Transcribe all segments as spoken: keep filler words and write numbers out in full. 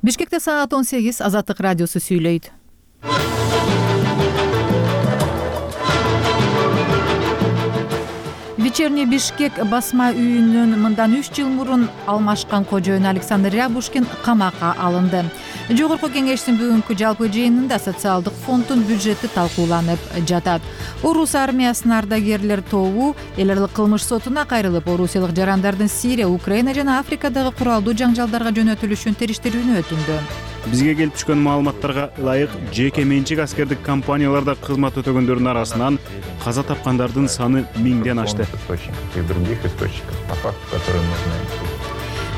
Бишкекте саат он сегиз. Азаттык радиосу сүйлөйт. Вечерний Бишкек басма үйүнөн мындан үч жыл мурун алмашкан кожоюн Александр Рябушкин камакка алынды. Жогорку кеңештин бүгүнкү жалпы жыйынында социалдык фонддун бюджети талкууланып жатат. Орус армиясынын ардагерлер тобу эл аралык кылмыш сотуна кайрылып, орусиялык жарандардын Сирия, Украина жана Африкадагы куралдуу жаңжалдарга жөнөтүлүшүн териштирүүнү өтүндү. Бизге келип түшкөн маалыматтарга ылайык, жеке менчик аскердик компанияларда кызмат өтөгөндөрдүн арасынан каза тапкандардын саны миңден ашты.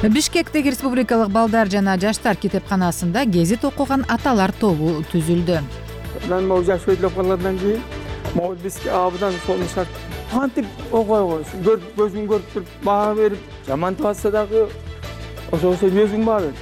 Бишкектеги Республикалык балдар жана жаштар китепканасында гезит окуган аталар тобу түзүлдү. Мен могу жаш өйдүлөп калгандан кийин могу бизге абдан солмушат. Кантип окуй койсун, көзүм көрүп туруп баа берип, жаман атса дагы ошосо өзүң баа бер.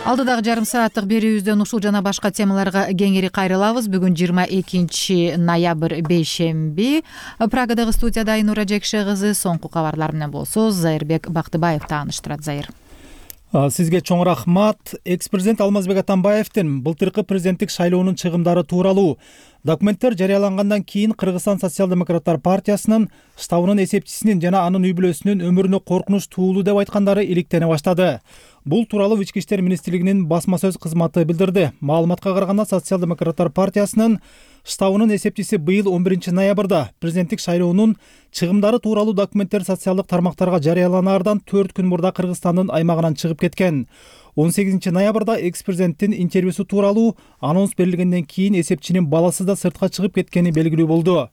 Алдыдагы жарым сааттык берүүбүздөн ушул жана башка темаларга кеңири кайрылабыз. Бүгүн жыйырма экинчи ноябрь бейшемби. Прагадагы студияда Айнура Жекше кызы. Соңку кабарлар менен болсо Зайырбек Бактыбаев тааныштырат. Зайыр. Сизге чоң рахмат. Экс-президент Алмазбек Атамбаевдин былтыркы президенттик шайлоонун чыгымдары тууралуу документтер жарыялангандан кийин Кыргызстан социал-демократтар партиясынын штабынын эсепчисинин жана анын үй бүлөсүнүн өмүрүнө коркунуч туулуу деп айткандары иликтене баштады. Бул тууралуу Ички иштер министрлигинин басма сөз кызматы билдирди. Маалыматка караганда социал-демократтар партиясынын штабынын эсепчиси быйыл он биринчи ноябрда президенттик шайлоонун чыгымдары тууралуу документтер социалдык тармактарга жарыяланаардан төрт күн мурда Кыргызстандын аймагынан чыгып кеткен. он сегизинчи ноябрда экс-президенттин интервьюсу тууралуу анонс берилгенден кийин эсепчинин баласы да сыртка чыгып кеткени белгилүү болду.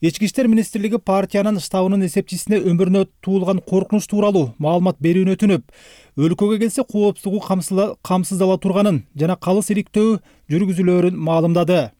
Ички иштер министрлиги партиянын штабынын эсепчисине өмүрүнө туулган коркунуч тууралуу маалымат берүүнү өтүнүп, өлкөгө келсе коопсуздугу камсыздала турганын жана калыс иликтөө жүргүзүлөөрүн маалымдады.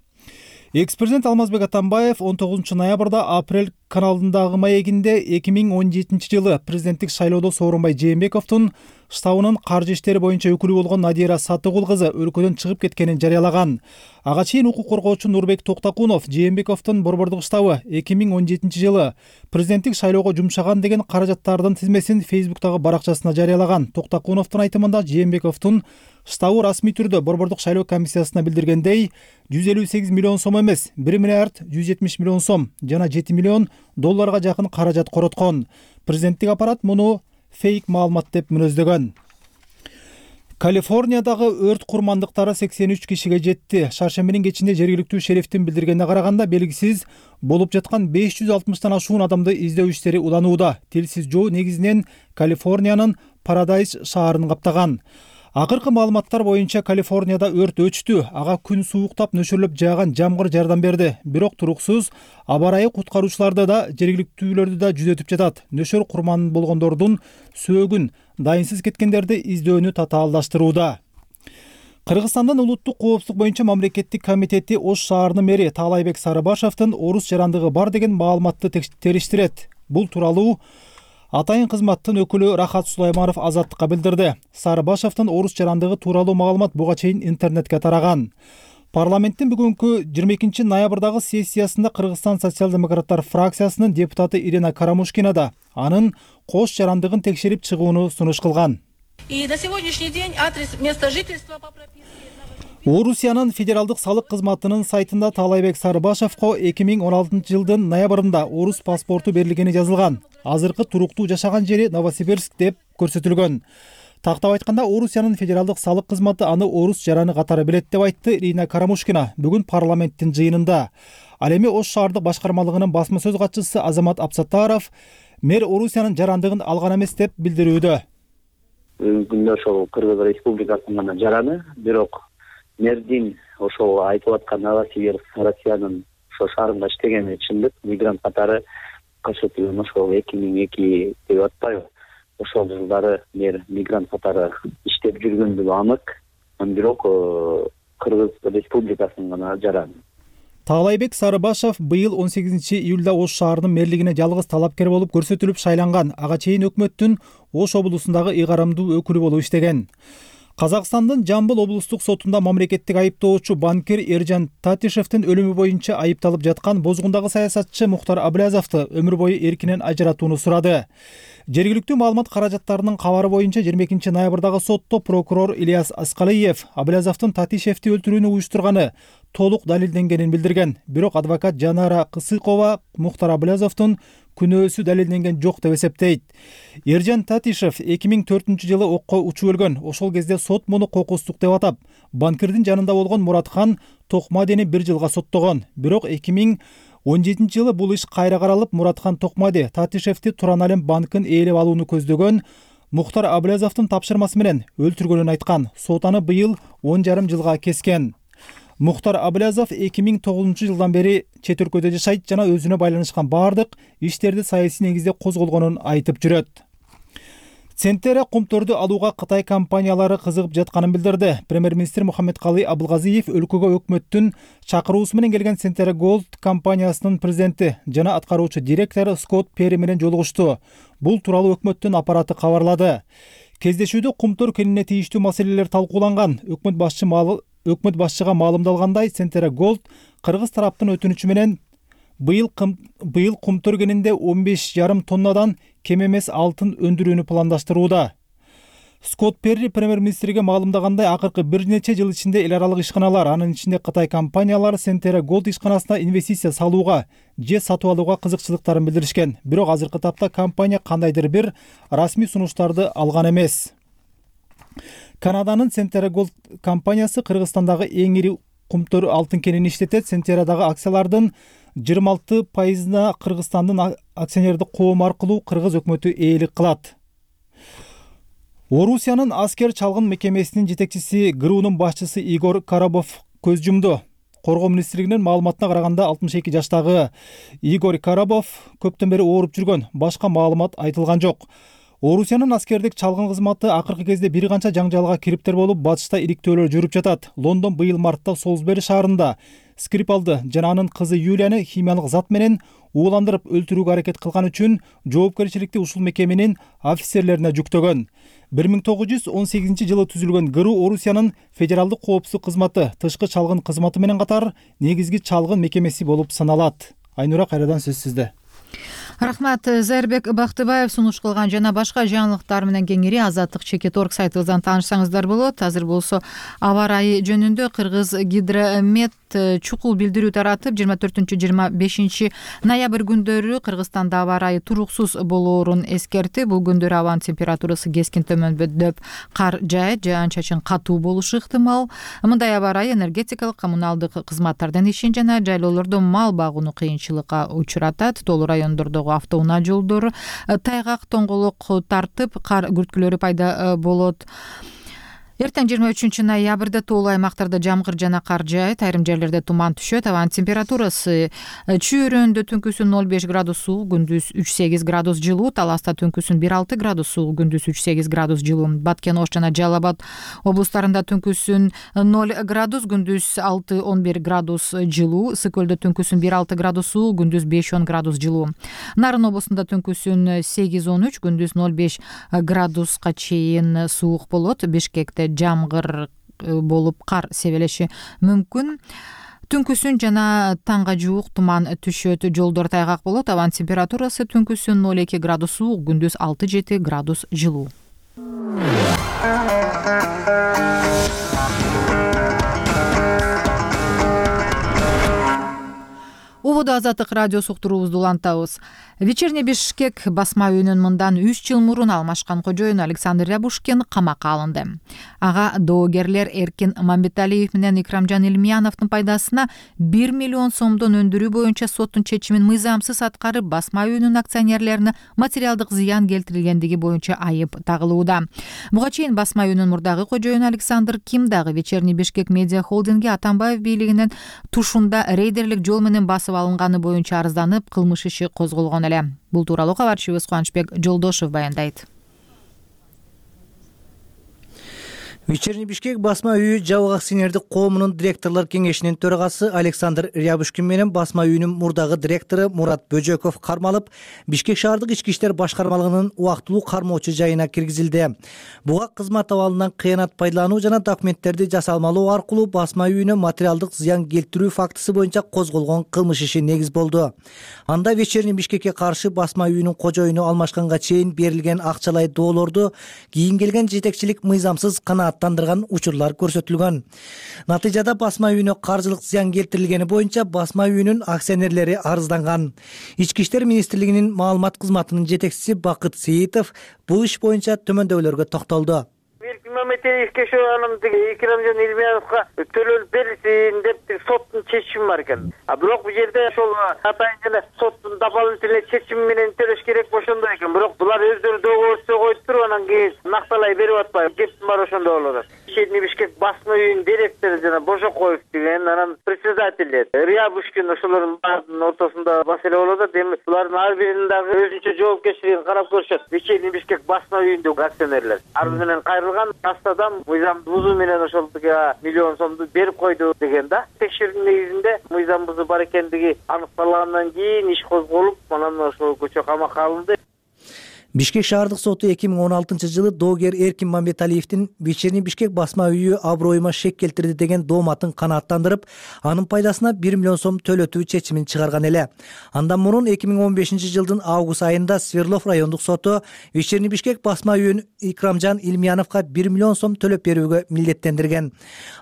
Экс-президент Алмазбек Атамбаев он тогузунчу ноябрда Апрель каналындагы маегинде эки миң он жетинчи жылы президенттик шайлоодо Сооронбай Жээнбековдун штабынын каржы иштери боюнча өкүлү болгон Надира Сатыгул кызы өлкөдөн чыгып кеткенин жарыялаган. Ага чейин укук коргоочу Нурбек Токтакунов Жээнбековдун борбордук штабы эки миң он жетинчи жылы президенттик шайлоого жумшаган деген каражаттардын тизмесин Фейсбуктагы баракчасына жарыялаган. Токтакуновдун айтымында Жээнбековдун штабы расмий түрдө борбордук шайлоо комиссиясына билдиргендей, жүз элүү сегиз миллион сом эмес, бир миллиард жүз жетимиш миллион сом жана жети миллион долларга жакын каражат короткон. Президенттик аппарат муну фейк маалымат деп мүнөздөгөн. Калифорниядагы өрт курмандыктары сексен үч кишиге жетти. Шаршембинин кечинде жергиликтүү шерифтин билдиргенине караганда белгисиз болуп жаткан беш жүз алтымыштан ашуун адамды издөө иштери уланууда. Тилсиз жоо негизинен Калифорниянын Парадайз шаарын каптаган. Акыркы маалыматтар боюнча Калифорнияда өрт өчтү. Ага күн сууктап нөшөрлөп жааган жамгыр жардам берди. Бирок туруксуз аба ырайы куткаруучуларды да, жергиликтүүлөрдү да жүзөтүп жатат. Нөшөр курман болгондордун сөөгүн, дайынсыз кеткендерди издөөнү татаалдаштырууда. Кыргызстандын улуттук коопсуздук боюнча мамлекеттик комитети Ош шаарынын мэри Таалайбек Сарыбашевдин орус жарандыгы бар деген маалыматты териштирет. Бул тууралуу атайын кызматтын өкүлү Рахат Сулайманов Азаттыкка билдирди. Сарыбашевдин орус жарандыгы тууралуу маалымат буга чейин интернетке тараган. Парламенттин бүгүнкү жыйырма экинчи ноябрдагы сессиясында Кыргызстан социал-демократтар фракциясынын депутаты Ирина Карамушкина да анын кош жарандыгын текшерип чыгууну сунуш кылган. И на сегодняшний день адрес места жительства по прописке Орусиянын федералдык салык кызматынын сайтында Таалайбек Сарыбашевко эки миң он алтынчы жылдын ноябрында орус паспорту берилгени жазылган. Азыркы туруктуу жашаган жери Новосибирск деп көрсөтүлгөн. Тактап айтканда, Орусиянын федералдык салык кызматы аны орус жараны катары билет деп айтты Ирина Карамушкина бүгүн парламенттин жыйынында. Ал эми Ош шаардык башкармалыгынын басма сөз катчысы Азамат Апсаттаров мэр Орусиянын жарандыгын алган эмес деп билдирүүдө. Бүгүнкү күндө ошол Кыргыз Республикасынын гана жараны, бирок мэрдин ошол айтып аткан Новосибирск Россиянын ошо шаарында иштегени чындык. Мигрант катары көрсөтүлгөн ошол эки миң эки деп атпайбы? Ошол жылдары мэр мигрант катары иштеп жүргөндүгү анык, бирок Кыргыз Республикасынын гана жараны. Таалайбек Сарыбашев быйыл он сегизинчи июлда Ош шаарынын мэрлигине жалгыз талапкер болуп көрсөтүлүп шайланган. Ага чейин өкмөттүн Ош облусундагы ыйгарымдуу өкүлү болуп иштеген. Казакстандын Жамбыл облустук сотунда мамлекеттик айыптоочу банкир Эржан Татишевдин өлүмү боюнча айыпталып жаткан бозгундагы саясатчы Мухтар Аблязовду өмүр бою эркинен ажыратууну сурады. Жергиликтүү маалымат каражаттарынын кабары боюнча жыйырма экинчи ноябрдагы сотто прокурор Ильяс Аскалиев Аблязовдун Татишевди өлтүрүүнү уюштурганы толук далилденгенин билдирген. Бирок адвокат Жанара Кысыкова Мухтар Аблязовдун күнөөсү далилденген жок деп эсептейт. Эржан Татишев эки миң төртүнчү жылы окко учуп өлгөн. Ошол кезде сот муну кокустук деп атап, банкирдин жанында болгон Муратхан Токмадени бир жылга соттогон. Бирок эки миң он жетинчи жылы бул иш кайра каралып, Муратхан Токмади Татишевди Туран Алем банкын ээлеп алууну көздөгөн Мухтар Аблязовдун тапшырмасы менен өлтүргөнүн айткан. Сот аны быйыл он жарым жылга кескен. Мухтар Аблязов эки миң тогузунчу жылдан бери чет өлкөдө жашайт жана өзүнө байланышкан баардык иштерди саясий негизде козголгонун айтып жүрөт. Центере кумторду алууга Кытай компаниялары кызыгып жатканын билдирди. Премьер-министр Мухаммедкалый Абылгазиев өлкөгө өкмөттүн чакыруусу менен келген Центере Голд компаниясынын президенти жана аткаруучу директору Скотт Перри менен жолугушту. Бул тууралуу өкмөттүн аппараты кабарлады. Кездешүүдө кумтор кенине тийиштүү маселелер талкууланган. Өкмөт башчы маалы Өкмөт башчыга маалымдалгандай, Центере Голд кыргыз тараптын өтүнүчү менен быйыл быйыл кумтор кенинде он беш жарым тоннадан кем эмес алтын өндүрүүнү пландаштырууда. Скотт Перри премьер-министрге маалымдагандай, акыркы бир нече жыл ичинде эл аралык ишканалар, анын ичинде Кытай компаниялары Центере Голд ишканасына инвестиция салууга же сатып алууга кызыкчылыктарын билдиришкен. Бирок азыркы тапта компания кандайдыр бир расмий сунуштарды алган эмес. Канаданын Центере Голд компаниясы Кыргызстандагы эң ири кумтор алтын кенин иштетет. Центерадагы акциялардын жыйырма алты пайызына Кыргызстандын акционердик коому аркылуу кыргыз өкмөтү ээлик кылат. Орусиянын аскер чалгын мекемесинин жетекчиси ГРУнун башчысы Игорь Коробов көз жумду. Коргоо министрлигинин маалыматына караганда алтымыш эки жаштагы Игорь Коробов көптөн бери ооруп жүргөн. Башка маалымат айтылган жок. Орусиянын аскердик чалгын кызматы акыркы кезде бир канча жаңжалга кириптер болуп, батышта иликтөөлөр жүрүп жатат. Лондон быйыл мартта Солсбери шаарында Скрипалды жана анын кызы Юлияны химиялык зат менен ууландырып өлтүрүүгө аракет кылган үчүн жоопкерчиликти ушул мекеменин офицерлерине жүктөгөн. бир миң тогуз жүз он сегизинчи жылы түзүлгөн ГРУ Орусиянын федералдык коопсуздук кызматы, тышкы чалгын кызматы менен катар негизги чалгын мекемеси болуп саналат. Айнура, кайрадан сөз сизде. Рахмат. Зайырбек Бактыбаев сунуш кылган жана башка жаңылыктар менен кеңири Азаттык чекит точка орг сайтыбыздан таанышсаңыздар болот. Азыр болсо аба ырайы жөнүндө Кыргыз Гидромет чукул билдирүү таратып, жыйырма төртүнчү жыйырма бешинчи ноябрь күндөрү Кыргызстанда аба ырайы туруксуз болоорун эскертти. Бул күндөрү абанын температурасы кескин төмөндөп, кар жаайт, жаан-чачын катуу болушу ыктымал. Мындай аба ырайы энергетикалык, коммуналдык кызматтардын ишин жана жайлоолордо мал багууну кыйынчылыкка учуратат. Толуу райондордогу автоунаа жолдор тайгак, тоңголок тартып, кар күрткүлөрү пайда болот. Эртең жыйырма үчүнчү ноябрда тоолуу аймактарда жамгыр жана кар жаайт, айрым жерлерде туман түшөт. Абанын температурасы Чүйөрөндө түнкүсүн ноль беш градус суук, күндүз үч сегиз градус жылуу, Таласта түнкүсүн бир алты градус суук, күндүз үч сегиз градус жылуу. Баткен Ош жана Жалал Абад облустарында түнкүсүн ноль градус, күндүз алты он бир градус жылуу, Ысык көлдө түнкүсүн бир алты градус суук, күндүз беш он градус жылуу. Нарын облусунда түнкүсүн сегиз он үч, күндүз ноль беш градуска чейин суук болот. Бишкекте жамгыр болуп кар себелеши мүмкүн. Түнкүсүн жана таңга жуук туман түшөт, жолдор тайгак болот. Абанын температурасы түнкүсүн ноль эки градус суук, күндүз алты жети градус жылуу. Убуду Азаттык радиосу уктуруубузду улантабыз. Вечерний Бишкек басма үйүнүн мындан үч жыл мурун алмашкан кожоюну Александр Рябушкин камакка алынды. Ага доогерлер Эркин Мамбеталиев менен Икрамжан Илмияновдун пайдасына бир миллион сомдон өндүрүү боюнча соттун чечимин мыйзамсыз аткарып, басма үйүнүн акционерлерине материалдык зыян келтирилгендиги боюнча айып тагылууда. Буга чейин басма үйүнүн мурдагы кожоюну Александр Ким дагы Вечерний Бишкек медиа холдинги Атамбаев бийлигинин тушунда рейдерлик жол менен басып алынганы боюнча арызданып, кылмыш иши козголгон эле. Бул тууралуу кабарчыбыз Кубанычбек Жолдошев баяндайт. Вечерний Бишкек басма үйү Жабык акционердик коомунун директорлор кеңешинин төрагасы Александр Рябушкин менен басма үйүнүн мурдагы директору Мурат Бөжөков кармалып, Бишкек шаардык ички иштер башкармалыгынын убактылуу кармоочу жайына киргизилди. Буга кызмат абалынан кыянат пайдалануу жана документтерди жасалмалоо аркылуу басма үйүнө материалдык зыян келтирүү фактысы боюнча козголгон кылмыш иши негиз болду. Анда Вечерний Бишкекке каршы басма үйүнүн кожоюну алмашканга чейин берилген акчалай доолорду кийин келген жетекчилик мыйзамсыз канаат тандырган учурлар көрсөтүлгөн. Натыйжада басма үйүнө каржылык зыян келтирилгени боюнча басма үйүнүн акционерлери арызданган. Ички иштер министрлигинин маалымат кызматынын жетекчиси Бакыт Сейитов бул иш боюнча төмөндөгүлөргө токтолду. Анын Икрамжан Илмияновго төлөнүп берилсин деп соттун чечими бар экен. А бирок бул жерде ошол атайын жана соттун дополнительный чечими менен төлөш керек ошондой экен. Бирок булар өздөрү договорчу коюп туруп анан кийин накталай берип атпайбы. Кептин бар ошондой болуп атат. Вечерний Бишкек басма үйүнүн директору жана Божокоев деген анан председатели Рябушкин ошолордун баарынын ортосунда маселе болуп атат. Эми булардын ар биринин дагы өзүнчө жоопкерчилигин карап көрүшөт. Вечерний Бишкек басма үйүндөгү акционерлер ар менен кайрылган астадан мыйзам бузуу менен ошол миллион сомду берип койду деген да. Текшерүүнүн негизинде мыйзам бузуу бар экендиги аныкталгандан кийин иш козголуп, анан ошол көчө камакка алынды. Бишкек шаардык соту эки миң он алтынчы жылы доогер Эркин Мамбеталиевдин Вечерний Бишкек басма үйү аброюма шек келтирди деген дооматын канааттандырып, анын пайдасына бир миллион сом төлөтүү чечимин чыгарган эле. Андан мурун эки миң он бешинчи жылдын август айында Свердлов райондук соту Вечерний Бишкек басма үйүн Икрамжан Илмияновго бир миллион сом төлөп берүүгө милдеттендирген.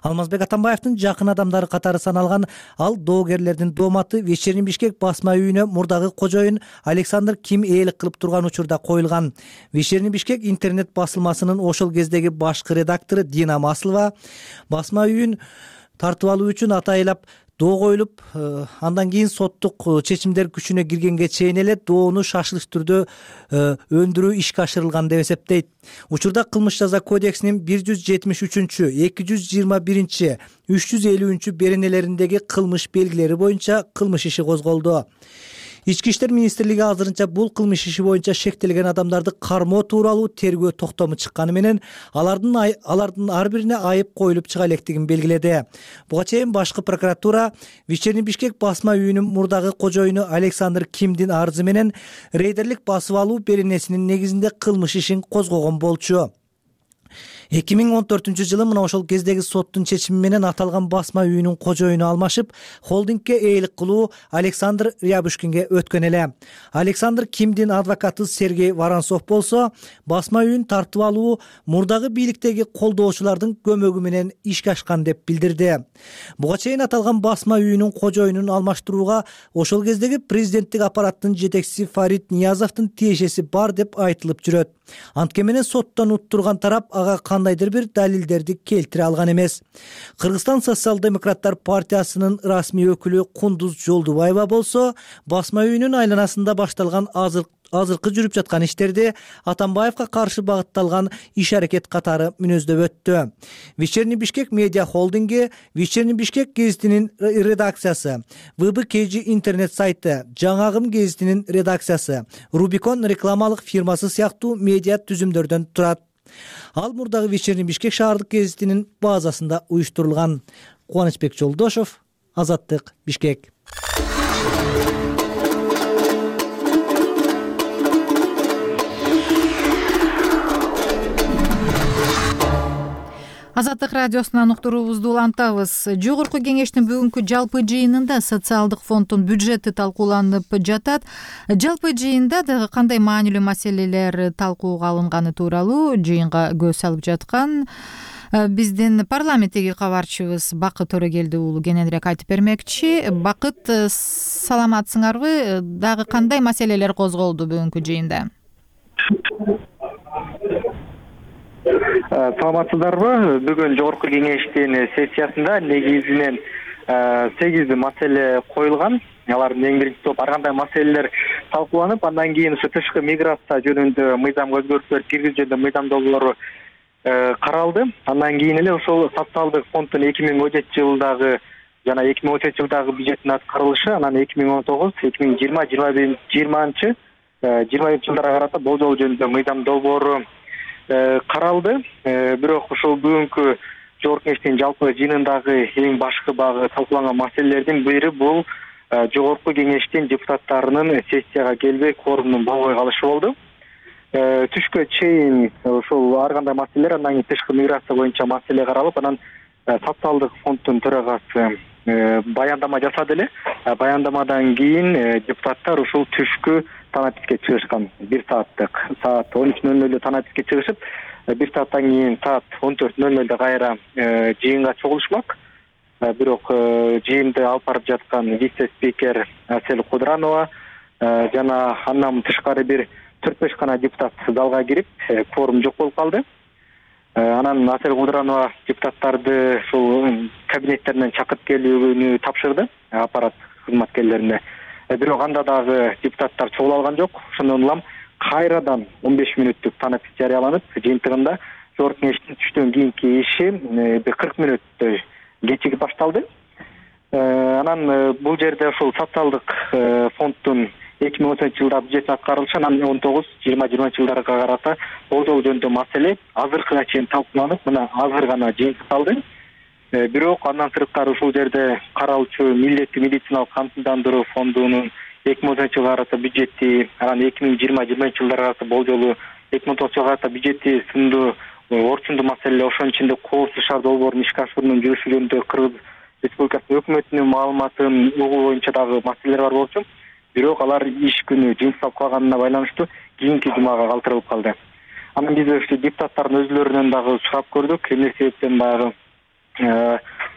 Алмазбек Атамбаевдин жакын адамдары катары саналган ал доогерлердин дооматы Вечерний Бишкек басма үйүнө мурдагы кожоюн Александр Ким ээлик кылып турган учурда коюлган. Вечерний Бишкек интернет басылмасынын ошол кездеги башкы редактору Дина Маслова басма үйүн тартып алуу үчүн атайлап доо коюлуп, андан кийин соттук чечимдер күчүнө киргенге чейин эле доону шашылыш түрдө өндүрүү ишке ашырылган деп эсептейт. Учурда кылмыш жаза кодексинин бир жүз жетимиш үчүнчү, эки жүз жыйырма биринчи, үч жүз элүүнчү беренелериндеги кылмыш белгилери боюнча кылмыш иши козголду. Ички иштер министрлиги азырынча бул кылмыш иши боюнча шектелген адамдарды кармоо тууралуу тергөө токтому чыкканы менен алардын алардын ар бирине айып коюлуп чыга электигин белгиледи. Буга чейин башкы прокуратура Вечерний Бишкек басма үйүнүн мурдагы кожоюну Александр Кимдин арызы менен рейдерлик басып алуу беренесинин негизинде кылмыш ишин козгогон болчу. эки миң он төртүнчү жылы мына ошол кездеги соттун чечими менен аталган басма үйүнүн кожоюну алмашып, холдингке ээлик кылуу Александр Рябушкинге өткөн эле. Александр Кимдин адвокаты Сергей Воронцов болсо, басма үйүн тартып алуу мурдагы бийликтеги колдоочулардын көмөгү менен ишке ашкан деп билдирди. Буга чейин аталган басма үйүнүн кожоюнун алмаштырууга ошол кездеги президенттик аппараттын жетекчиси Фарид Ниязовдун тиешеси бар деп айтылып жүрөт. Анткени менен соттон уттурган тарап ага кандайдыр бир далилдерди келтире алган эмес. Кыргызстан социал-демократтар партиясынын расмий өкүлү Кундуз Жолдубаева болсо, басма үйүнүн айланасында башталган азыр азыркы жүрүп жаткан иштерди Атамбаевга каршы багытталган иш аракет катары мүнөздөп өттү. Вечерний Бишкек медиа холдинги, Вечерний Бишкек гезитинин редакциясы, вэ бэ ка жи интернет сайты, Жаңагым гезитинин редакциясы, Рубикон рекламалык фирмасы сыяктуу медиа түзүмдөрдөн турат. Ал мурдагы Вечерний Бишкек шаардык гезитинин базасында уюштурулган. Кубанычбек Жолдошов, Азаттык, Бишкек. Азаттык радиосунан уктуруубузду улантабыз. Жогорку кеңештин бүгүнкү жалпы жыйынында социалдык фонддун бюджети талкууланып жатат. Жалпы жыйында дагы кандай маанилүү маселелер талкууга алынганы тууралуу жыйынга көз салып жаткан биздин парламенттеги кабарчыбыз Бакыт Төрөгелди уулу кененирээк айтып бермекчи. Бакыт, саламатсыңарбы? Дагы кандай маселелер козголду бүгүнкү жыйында? Саламатсыздарбы? Бүгүн жогорку кеңештин сессиясында негизинен сегиз маселе коюлган. Алардын эң биринчи топ ар кандай маселелер талкууланып, андан кийин ушу тышкы миграция жөнүндө мыйзамга өзгөртүүлөр киргизүү жөнүндө мыйзам долбоору каралды. Андан кийин эле ошол социалдык фонддун эки миң он жетинчи жылдагы жана эки миң он сегизинчи жылдагы бюджеттин аткарылышы, анан эки миң он тогуз, эки миң жыйырма, жыйырманчы жылдарга карата болжол жөнүндө мыйзам долбоору каралды. Бирок ушул бүгүнкү жогорку кеңештин жалпы жыйынындагы эң башкы багы талкууланган маселелердин бири бул жогорку кеңештин депутаттарынын сессияга келбей кворумдун болбой калышы болду. Түшкө чейин ушул ар кандай маселелер, андан кийин тышкы миграция боюнча маселе каралып, анан социалдык фонддун төрагасы баяндама жасады эле. Баяндамадан кийин депутаттар ушул түшкү танаписке чыгышкан. бир сааттык саат он үч нөл нөлдө танаписке чыгышып, бир сааттан кийин саат он төрт нөл нөлдө кайра жыйынга чогулушмак. Бирок жыйынды алып барып жаткан вице-спикер Асель Кудранова жана андан тышкары бир төрт беш гана депутат залга кирип, кворум жок болуп калды. Анан Асель Кудранова депутаттарды ушул кабинеттеринен чакырып келүүнү тапшырды аппарат кызматкерлерине. Бирок анда дагы депутаттар чогула алган жок. Ошондон улам кайрадан он беш мүнөттүк танапис жарыяланып, жыйынтыгында жогорку кеңештин түштөн кийинки иши бир кырк мүнөттөй кечигип башталды. Анан бул жерде ушул социалдык фонддун эки миң он сегизинчи жылда бюджет аткарылышы, анан он тогуз жыйырма жыйырманчы жылдарга карата болжол жөнүндө маселе азыркыга чейин талкууланып, мына азыр гана жыйынтыкталды. Бирок андан сырткары ушул жерде каралчу милдеттүү медициналык камсыздандыруу фондунун эки миң он сегизинчи жылга карата бюджети, анан эки миң жыйырма жыйырманчы жылдарга карата болжолу эки миң он тогузунчу жылга карата бюджети сынды орчундуу маселе, ошонун ичинде коопсуз шаар долбоорунун ишке ашыруунун жүрүшү жөнүндө Кыргыз Республикасынын өкмөтүнүн маалыматын угуу боюнча дагы маселелер бар болчу. Бирок алар иш күнү жыйынтыкталып калганына байланыштуу кийинки жумага калтырылып калды. Анан биз ушул депутаттардын өзлөрүнөн дагы сурап көрдүк, эмне себептен баягы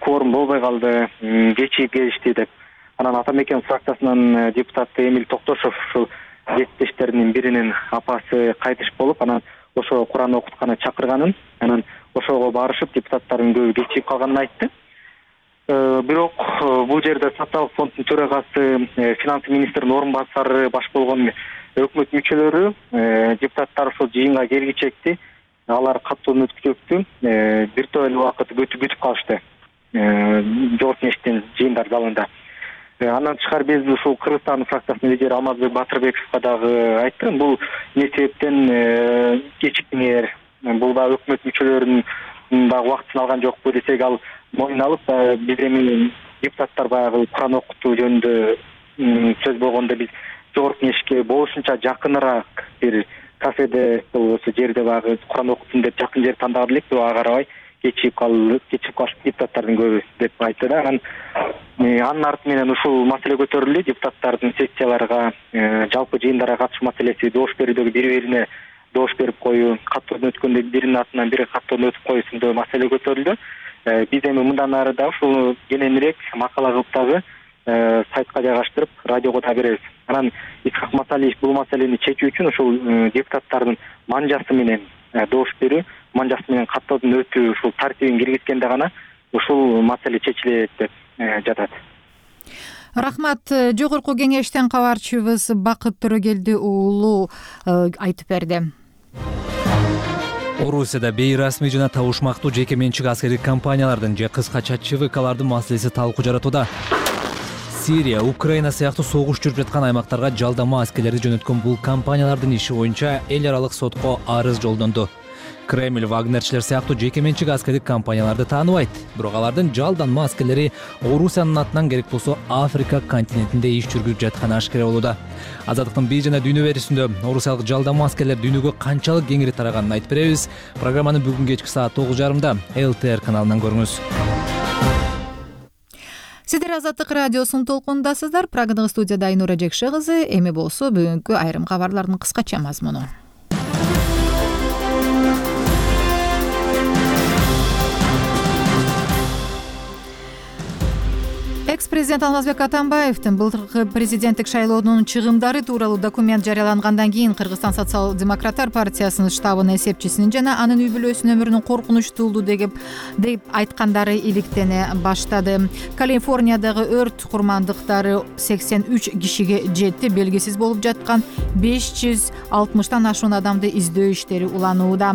кворум болбой калды, кечигип келишти деп. Анан Ата Мекен фракциясынын депутаты Эмиль Токтошов ушул депутаттардын биринин апасы кайтыш болуп, анан ошого Куран окутканы чакырганын, анан ошого барышып депутаттардын көбү кечигип калганын айтты. Бирок бул жерде социалдык фонддун төрагасы, финанс министринин орун басары баш болгон өкмөт мүчөлөрү, депутаттар ошол жыйынга келгичекти алар каттуу өткүзөктү бир топ эле убакыт күтүп калышты жогорку кеңештин жыйындар залында. Андан тышкары биз ушул Кыргызстан фракциясынын лидери Алмазбек Батырбековго дагы айттым. Бул эмне себептен кечиктиңер, бул да өкмөт мүчөлөрүнүн дагы убактысын алган жокпу десек, ал моюн алып, биз эми депутаттар баягы Куран окутуу жөнүндө сөз болгондо биз жогорку кеңешке болушунча жакыныраак бир кафеде болбосо жерде баягы Куран окутсын деп жакын жер тандап элек, ага карабай кечигип калып, кечигип калыш депутаттардын көбү деп айтты да. Анан анын арты менен ушул маселе көтөрүлдү. Депутаттардын сессияларга, жалпы жыйындарга катышуу маселеси, добуш берүүдөгү бири-бирине добуш берип коюу, каттоодон өткөндө биринин атынан бири каттоодон өтүп коюу сынды маселе көтөрүлдү. Биз эми мындан ары да ушул кененирээк макала кылып дагы сайтка жайгаштырып, радиого да беребиз. Анан Исхак Масалиев бул маселени чечүү үчүн ушул депутаттардын манжасы менен добуш берүү, манжасы менен каттоодон өтүү ушул тартибин киргизгенде гана ушул маселе чечилет деп жатат. Рахмат. Жогорку кеңештен кабарчыбыз Бакыт Төрөгелди уулу айтып берди. Орусияда бейрасмий жана табышмактуу жеке менчик аскердик компаниялардын же кыскача ЧВКлардын маселеси талкуу жаратууда. Сирия, Украина сыяктуу согуш жүрүп жаткан аймактарга жалдама аскерлерди жөнөткөн бул компаниялардын иши боюнча эл аралык сотко арыз жолдонду. Кремль Вагнерчилер сыяктуу жеке менчик аскердик компанияларды тааныбайт, бирок алардын жалданма аскерлери Орусиянын атынан керек болсо Африка континентинде иш жүргүзүп жатканы ашкера болууда. Азаттыктын бий жана дүйнө берүүсүндө орусиялык жалданма аскерлер дүйнөгө канчалык кеңири тараганын айтып беребиз. Программаны бүгүн кечки саат тогуз жарымда эл тэ эр каналынан көрүңүз. Сиздер Азаттык радиосунун толкунундасыздар. Программага студияда Айнура Жекше кызы. Эми болсо бүгүнкү айрым кабарлардын кыскача мазмуну. Экс-президент Алмазбек Атамбаевдин былтыркы президенттик шайлоонун чыгымдары тууралуу документ жарыялангандан кийин Кыргызстан социал-демократтар партиясынын штабынын эсепчисинин жана анын үй бүлөсүнүн өмүрүнүн коркунучтуулугу деп деп айткандары иликтене баштады. Калифорниядагы өрт курмандыктары сексен үч кишиге жетти. Белгисиз болуп жаткан беш жүз алтымыштан ашуун адамды издөө иштери уланууда.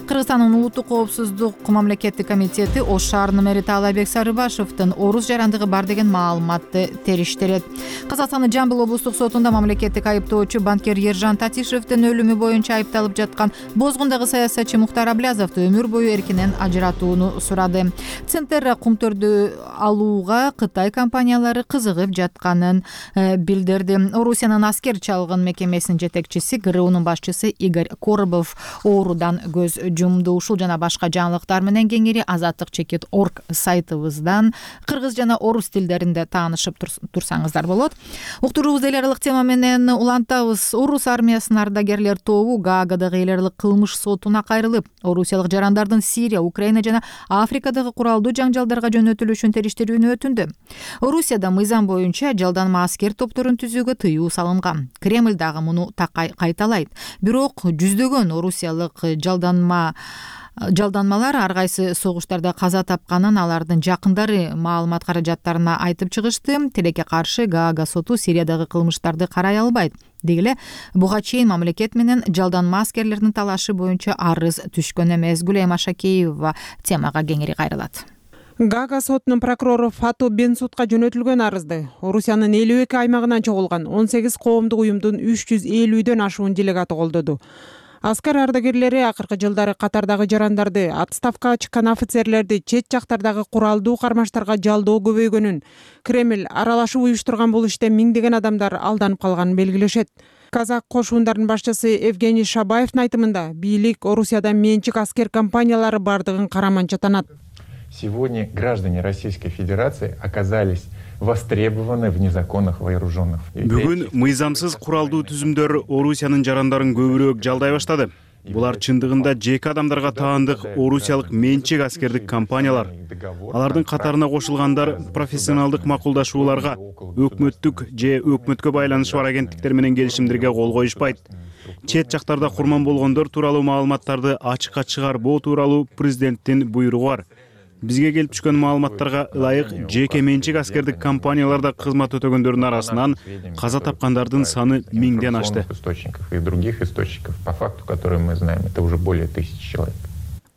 Кыргызстандын улуттук коопсуздук мамлекеттик комитети Ош шаарынын мэри Таалайбек Сарыбашевдин орус жарандыгы бар деген маалыматты териштирет. Казакстандын Жамбыл облустук сотунда мамлекеттик айыптоочу банкир Ержан Татишевдин өлүмү боюнча айыпталып жаткан Бозгундагы саясатчы Мухтар Аблязовду өмүр бою эркинен ажыратууну сурады. Центр кумтөрдү алууга Кытай компаниялары кызыгып жатканын билдирди. Орусиянын аскер чалгын мекемесинин жетекчиси гэ эр унун башчысы Игорь Коробов оорудан көз жумду. Ушул жана башка жаңылыктар менен кеңири азаттык чекит орг сайтыбыздан кыргыз жана орус тилдеринде таанышып турсаңыздар болот. Уктуруубузду эл аралык тема менен улантабыз. Орус армиясынын ардагерлер тобу Гаагадагы эл аралык кылмыш сотуна кайрылып, орусиялык жарандардын Сирия, Украина жана Африкадагы куралдуу жаңжалдарга жөнөтүлүшүн териштирүүнү өтүндү. Орусияда мыйзам боюнча жалданма аскер топторун түзүүгө тыюу салынган. Кремль дагы муну кайталайт. Бирок жүздөгөн орусиялык жалданма жалданмалар ар кайсы согуштарда каза тапканын алардын жакындары маалымат каражаттарына айтып чыгышты. Тилекке каршы Гаага соту Сириядагы кылмыштарды карай албайт. Деги эле буга чейин мамлекет менен жалданма аскерлердин талашы боюнча арыз түшкөн эмес. Гүлайым Ашакеева темага кеңири кайрылат. Гаага сотунун прокурору Фату Бенсудка жөнөтүлгөн арызды Орусиянын элүү эки аймагынан чогулган он сегиз коомдук уюмдун үч жүз элүүдөн ашуун делегаты колдоду. Аскер ардагерлери акыркы жылдары катардагы жарандарды, отставкага чыккан офицерлерди, чет жактардагы куралдуу кармаштарга жалдоо көбөйгөнүн, Кремль аралашып уюштурган бул иште миңдеген адамдар алданып калганын белгилешет. Казак кошуундарынын башчысы Евгений Шабаевдин айтымында бийлик Орусияда менчик аскер компаниялары бардыгын караманча танат. Сегодня граждане Российской Федерации оказались востребованы в незаконных вооруженных. Бүгүн мыйзамсыз куралдуу түзүмдөр Орусиянын жарандарын көбүрөөк жалдай баштады. Булар чындыгында жеке адамдарга таандык орусиялык менчик аскердик компаниялар. Алардын катарына кошулгандар профессионалдык макулдашууларга, өкмөттүк же өкмөткө байланышы бар агенттиктер менен келишимдерге кол коюшпайт. Чет жактарда курман болгондор тууралуу маалыматтарды ачыкка чыгарбоо тууралуу президенттин буйругу бар. Бизге келип түшкөн маалыматтарга ылайык жеке менчик аскердик компанияларда кызмат өтөгөндөрдүн арасынан каза тапкандардын саны миңден ашты. И других источников, по факту, которые мы знаем, это уже более тысячи человек.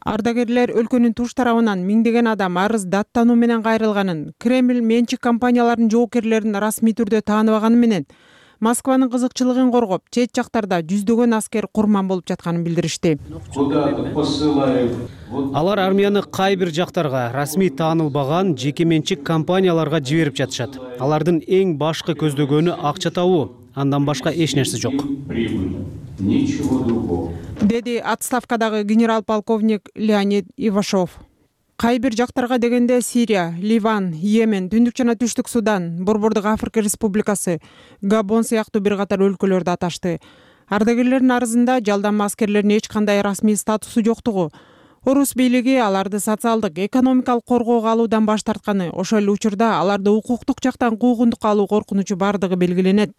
Ардагерлер өлкөнүн туш тарабынан миңдеген адам арыз даттануу менен кайрылганын, Кремль менчик компаниялардын жоокерлерин расмий түрдө тааныбаганы менен Москванын кызыкчылыгын коргоп, чет жактарда жүздөгөн аскер курман болуп жатканын билдиришти. Алар армияны кай бир жактарга расмий таанылбаган жеке менчик компанияларга жиберип жатышат. Алардын эң башкы көздөгөнү акча табуу, андан башка эч нерсе жок. Деди отставкадагы генерал-полковник Леонид Ивашов. Кай бир жактарга дегенде Сирия, Ливан, Йемен, Түндүк жана Түштүк Судан, Борбордук Африка Республикасы, Габон сыяктуу бир катар өлкөлөрдү аташты. Ардагерлердин арызында жалданма аскерлердин эч кандай расмий статусу жоктугу, орус бийлиги аларды социалдык, экономикалык коргоого алуудан баш тартканы, ошол эле учурда аларды укуктук жактан куугундукка алуу коркунучу бардыгы белгиленет.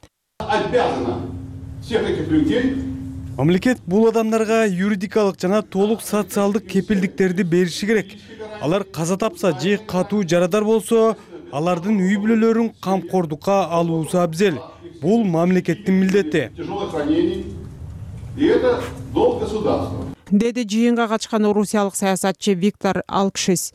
Мамлекет бул адамдарга юридикалык жана толук социалдык кепилдиктерди бериши керек. Алар каза тапса же катуу жарадар болсо, алардын үй бүлөлөрүн камкордукка алуусу абзел. Бул мамлекеттин милдети. Деди жыйынга катышкан орусиялык саясатчы Виктор Алкшис.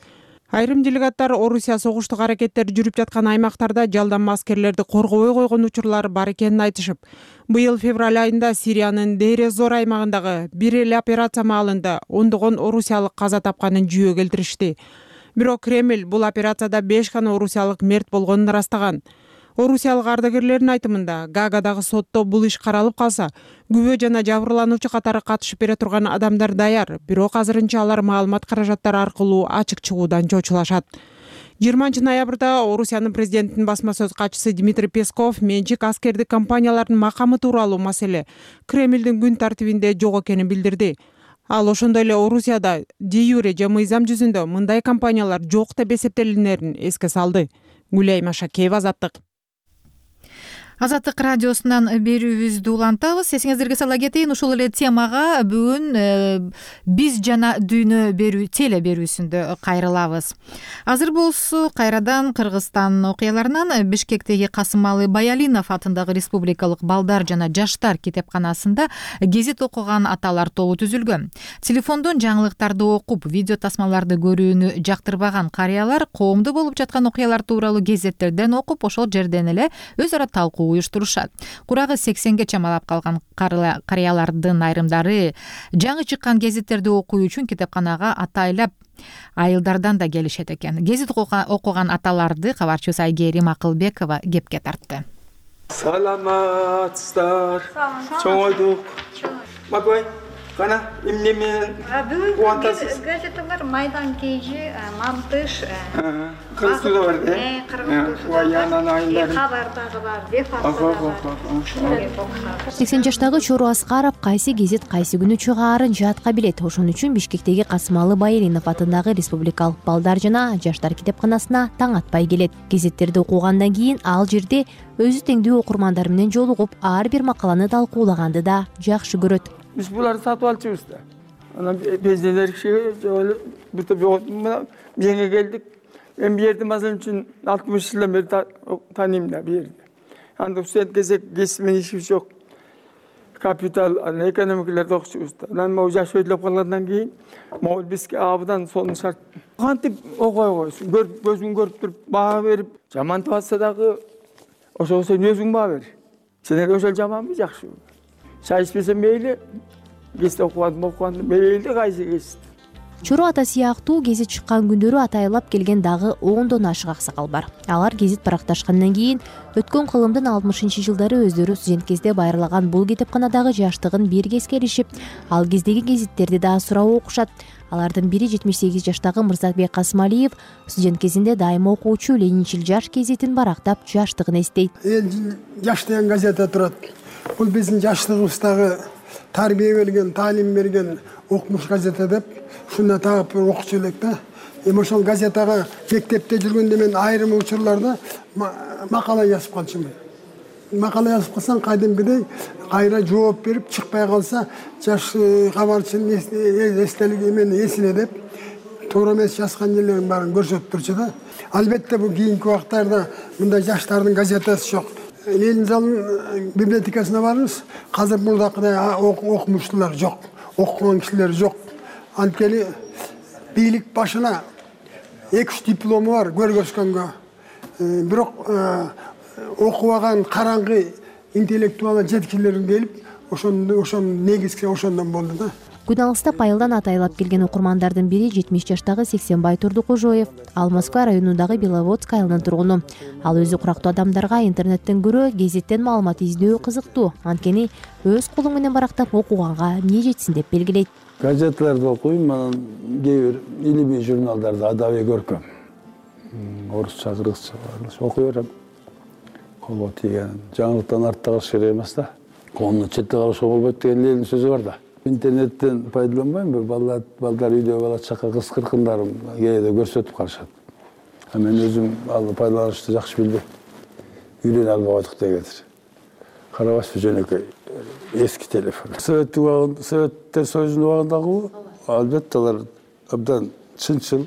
Айрым делегаттар Орусия согуштук аракеттери жүрүп жаткан аймактарда жалданма аскерлерди коргобой койгон учурлар бар экенин айтышып, быйыл февраль айында Сириянын Дейре-зор аймагындагы бир эле операция маалында ондогон орусиялык каза тапканын жүйө келтиришти. Бирок Кремль бул операцияда беш гана орусиялык мерт болгонун ырастаган. Орусиялык ардагерлердин айтымында Гаагадагы сотто бул иш каралып калса, күбө жана жабырлануучу катары катышып бере турган адамдар даяр, бирок азырынча алар маалымат каражаттары аркылуу ачык чыгуудан чочулашат. жыйырманчы ноябрда Орусиянын президентинин басма сөз катчысы Дмитрий Песков менчик аскердик компаниялардын макамы тууралуу маселе Кремлдин күн тартибинде жок экенин билдирди. Ал ошондой эле Орусияда де юре же мыйзам жүзүндө мындай компаниялар жок деп эсептелинерин эске салды. Гүлайым Ашакеева, Азаттык. Азаттык радиосунан берүүбүздү улантабыз. Эсиңиздерге сала кетейин, ушул эле темага бүгүн биз жана дүйнө берүү теле берүүсүндө кайрылабыз. Азыр болсо кайрадан Кыргызстан окуяларынан Бишкектеги Касымалы Баялинов атындагы Республикалык балдар жана жаштар китепканасында гезит окуган аталар тобу түзүлгөн. Телефондон жаңылыктарды окуп, видео тасмаларды көрүүнү жактырбаган карыялар коомдо болуп жаткан окуялар тууралуу гезеттерден окуп, ошол жерден эле өз ара талкуу уюштурушат. Курагы сексенге чамалап калган карыялардын айрымдары жаңы чыккан гезиттерди окуу үчүн китепканага атайлап айылдардан да келишет экен. Гезит окуган аталарды кабарчыбыз Айгерим Акылбекова кепке тартты. Саламатсыздар. Чоңойдук. Макбай, кана эмнемен кубантасыз? Газета бар, Майдан Кежи, Мамтыш. Кыргыз тилде бар, э? Кыргыз тилде. Кабардагы бар, Бефактагы бар. сексен жаштагы Чору Аскаров кайсы гезит кайсы күнү чыгаарын жатка билет. Ошон үчүн Бишкектеги Касымалы Баялинов атындагы Республикалык балдар жана жаштар китепканасына таң атпай келет. Гезиттерди окугандан кийин ал жерде өзү теңдүү окурмандар менен жолугуп, ар бир макаланы талкуулаганды да жакшы көрөт. Биз буларды сатып алчубуз да. Анан пенсионер кишиге жолу бир топ жоготуп меңе келдик. Мен бу жерди мисалы үчүн алтымыш жылдан бери тааныйм да бу жерди. Анда студент кезек кесиптен ишибиз жок. Капитал, экономикалерди окучубуз да. Анан могу жаш өйдөлөп калгандан кийин могу бизге абдан сонун шарт. Кантип окуй койсуң, көзүң көрүп туруп баа берип, жамантып атса дагы ошого сен өзүң баа бер. Сен ошол жаманбы, жакшыбы? Чай ичпесем мейли, гезит окубадым, окубадым, мейли кайсы гезит. Чору ата сыяктуу гезит чыккан күндөрү атайлап келген дагы ондон ашык аксакал бар. Алар гезит баракташкандан кийин өткөн кылымдын алтымышынчы жылдары өздөрү студент кезде байырлаган бул китепканадагы жаштыгын бирге эскеришип, ал кездеги гезиттерди да сурап окушат. Алардын бири жетимиш сегиз жаштагы Мырзабек Касымалиев студент кезинде дайыма окуучу Ленинчил жаш гезитин барактап жаштыгын эстейт. Эл жаш деген газета турат. Бул биздин жаштыгыбыздагы тарбие берген, таалим берген окумуш газета деп ушунда таап окучу элек да. Эми ошол газетага мектепте жүргөндө мен айрым учурларда макала жазып калчумун. Макала жазып калсаң кайдымкыдай кайра жооп берип чыкпай калса жаш кабарчынын эстелиги мен эсине деп туура эмес жазган жерлерин баарын көрсөтүп турчу да. Албетте бул кийинки убактарда мындай жаштардын газетасы жок. Ленин залынын библиотекасына барыңыз, азыр мурдакыдай окумуштуулар жок, окуган кишилер жок. Анткени бийлик башына эки үч диплому бар көргөзгөнгө. Бирок окубаган караңгы интеллектуал жеткилер келип, ошондо ошонун негизги ошондон болду да. Күн алыстап айылдан атайлап келген окурмандардын бири жетимиш жаштагы Сексенбай Турдукожоев. Ал Москва районундагы Беловодск айылынын тургуну. Ал өзү курактуу адамдарга интернеттен көрө гезиттен маалымат издөө кызыктуу. Анткени өз колу менен барактап окуганга эмне жетсин деп белгилейт. Газеталарды окуйм, анан кээ бир илимий журналдарды адабий көркөм. Орусча, кыргызча окуй берем. Колго тийген жаңылыктан артта калыш керек эмес да. Колуну четте калышка болбойт деген Ленин сөзү бар да. Интернеттен пайдаланбайм, балдар балдар үйдө бала чака кыз кыркындарын кээде көрсөтүп калышат. Мен өзүм ал пайдаланышты жакшы билбейм. Үйрөнө албай койдук дегендир. Карабашпы жөнөкөй эски телефон. Советтик убагында, Советтер Союзунун убагындагы албетте алар абдан чынчыл,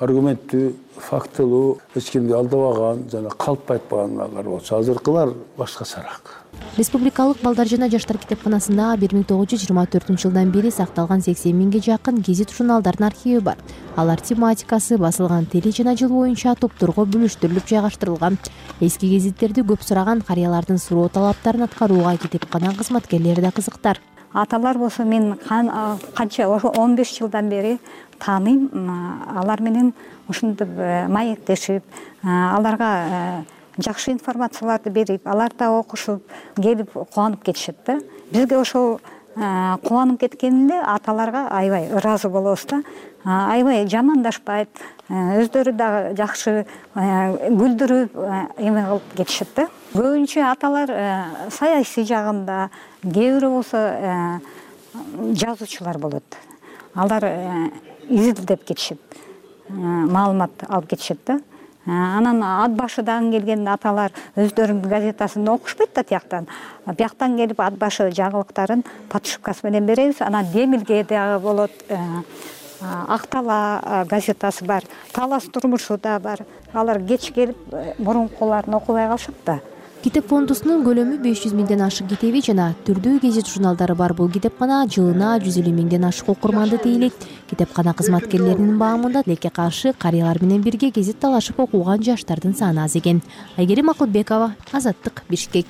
аргументтүү, фактылуу, эч кимди алдабаган жана калп айтпагандар болчу. Азыркылар башкачараак. Республикалык балдар жана жаштар китепканасында бир миң тогуз жүз жыйырма төртүнчү жылдан бери сакталган сексен миңге жакын гезит журналдардын архиви бар. Алар тематикасы, басылган тили жана жыл боюнча топторго бөлүштүрүлүп жайгаштырылган. Эски гезиттерди көп сураган карыялардын суроо талаптарын аткарууга китепкана кызматкерлери да кызыктар. Аталар болсо мен канча ошо он беш жылдан бери тааныйм. Алар менен ушинтип маектешип, аларга жакшы информацияларды берип, алар да окушуп, келип кубанып кетишет да. Бизге ошол кубанып кеткенинде аталарга аябай ыраазы болобуз да. Аябай жамандашпайт, өздөрү да жакшы күлдүрүп эме кылып кетишет да. Көбүнчө аталар саясий жагында, кээ бирөө болсо жазуучулар болот. Алар изилдеп кетишет, маалымат алып кетишет да. анан ат башыдан келген аталар өздөрүнүн газетасын окушпайт да тияктан. Бияктан келип ат башы жаңылыктарын подшивкасы менен беребиз. Анан Демилге дагы болот. Ак Тала газетасы бар, Талас турмушу да бар. Алар кеч келип мурункуларын окубай калышат да. Китеп фондусунун көлөмү беш жүз миңден ашык китеби жана түрдүү гезит журналдары бар бул китепкана жылына жүз элүү миңден ашык окурманды тейлейт. Китепкана кызматкерлеринин баамында тилекке каршы карыялар менен бирге гезит талашып окуган жаштардын саны аз экен. Айгерим Акылбекова, Азаттык, Бишкек.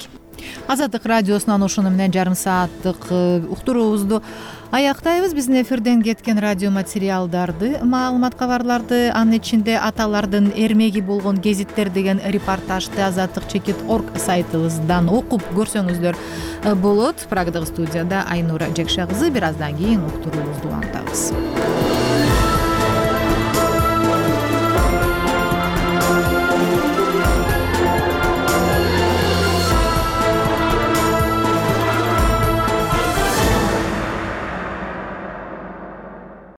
Азаттык радиосунан ушуну менен жарым сааттык уктуруубузду аяктайбыз. Биздин эфирден кеткен радио материалдарды, маалымат кабарларды, анын ичинде аталардын эрмеги болгон гезиттер деген репортажды азаттык чекит точка орг сайтыбыздан окуп көрсөңүздөр болот. Прагдагы студияда Айнура Жекша кызы. Бир аздан кийин уктуруубузду улантабыз.